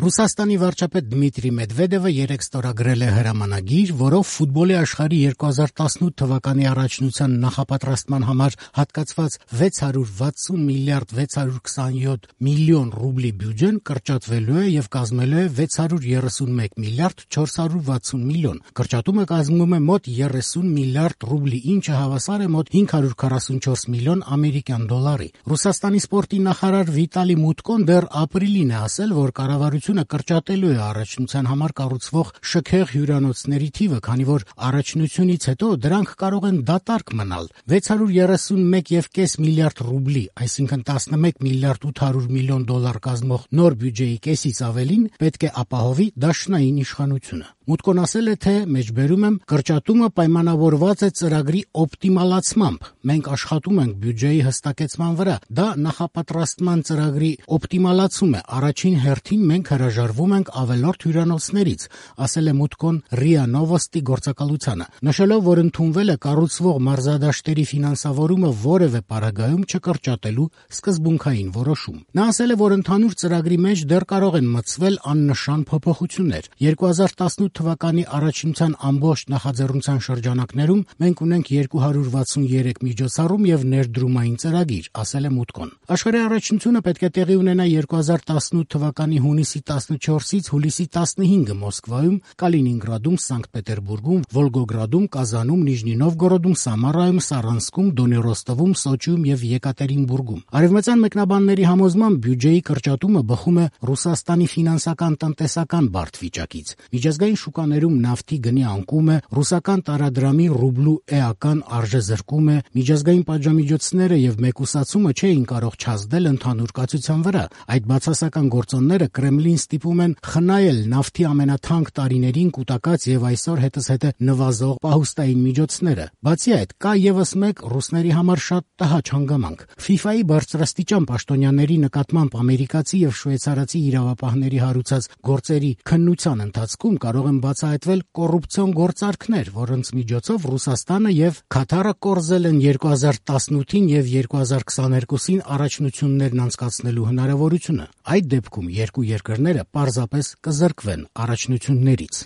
Ռուսաստանի վարչապետ Դմիտրի Մեդվեդևը երեկ ստորագրել է հրամանագիր, որով ֆուտբոլի աշխարհի 2018 թվականի առաջնության նախապատրաստման համար հատկացված 660 միլիարդ 627 միլիոն ռուբլի բյուջեն կրճատվելու է եւ կազմելու է 631 միլիարդ 460 միլիոն։ Կրճատումը կազմում է մոտ 30 միլիարդ ռուբլի, ինչը հավասար է մոտ 544 միլիոն ամերիկյան դոլարի։ Ռուսաստանի սպորտի նախարար Վիտալի Մուտկոն դեռ ապրիլին է ասել, որ կառավարությունը կրճատելու է առաջնության համար կառուցվող շքեղ հյուրանոցների թիվը, քանի որ առաջնությունից հետո դրանք կարող են դատարկ մնալ։ 631.5 միլիարդ ռուբլի, այսինքն 11 միլիարդ 800 միլիոն դոլար կազմող նոր բյուջեի կեսից ավելին պետք է ապահովի դաշնային իշխանությունը։ Մուտկոն ասել է, թե մեջբերում եմ, կրճատումը պայմանավորված է ծրագրի օպտիմալացմամբ։ Մենք աշխատում ենք բյուջեի հստակեցման վրա։ Դա նախապատրաստման ծրագրի օպտիմալացում է։ Առաջին հերթին մենք հրաժարվում ենք ավելորդ հյուրանոցներից, ասել է Մուտկոն ՌԻԱ Նովոստի գործակալությանը, նշելով, որ ընդունվել է կառուցվող մարզադաշտերի ֆինանսավորումը որևէ պարագայում չկրճատելու սկզբունքային որոշում։ Նա ասել է, որ ընդհանուր ծրագրի մեջ դեռ կարող են մտցվել աննշան փոփոխություններ։ 2018 թվականի առաջնության ամբողջ նախաձեռնության շրջանակներում մենք ունենք 263 միջոցառում եւ ներդրումային ծրագիր, ասել է Մուտկոն։ Աշխարհի առաջնությունը պետք է տեղի ունենա 2018 թվականի հունիսի 14-ից հուլիսի 15-ը Մոսկվայում, Կալինինգրադում, Սանկտ Պետերբուրգում, Վոլգոգրադում, Կազանում, Նիժնի Նովգորոդում, Սամարայում, Սարանսկում, Դոնեստովում, Սոչիում եւ Եկատերինբուրգում։ Արևմտյան մեկնաբանների համոզմամբ բյուջեի կրճատումը բխում է Ռուսաստանի ֆինանսական-տնտեսական բարդ վիճակից։ Միջազգային շուկաներում նավթի գնի անկում է, ռուսական տարադրամի ռուբլու էական արժեզրկում է, միջազգային պատժամիջոցները եւ մեկուսացումը չէին կարող չազդել ընդհանուր կացության վրա։ Այդ բացասական գործոնները Կրեմլին ստիպում են խնայել նավթի ամենաթանկ տարիներին կուտակած եւ այսօր հետզհետե նվազող պահուստային միջոցները։ Բացի այդ, կա եւս մեկ ռուսների համար շատ տհաճ հանգամանք։ FIFA-ի բարձրաստիճան պաշտոնյաների նկատմամբ ամերիկացի եւ շվեյցարացի իրավապահների հարուցած գործերի քննության ընթացքում կարող են բացահայտվել կոռուպցիոն գործարքներ, որոնց միջոցով Ռուսաստանը եւ Քաթարը կորզել են 2018-ին եւ 2022-ին առաջնություններն անցկացնելու հնարավորությունը։ Այդ դեպքում երկու երկրները պարզապես կզրկվեն առաջնություններից։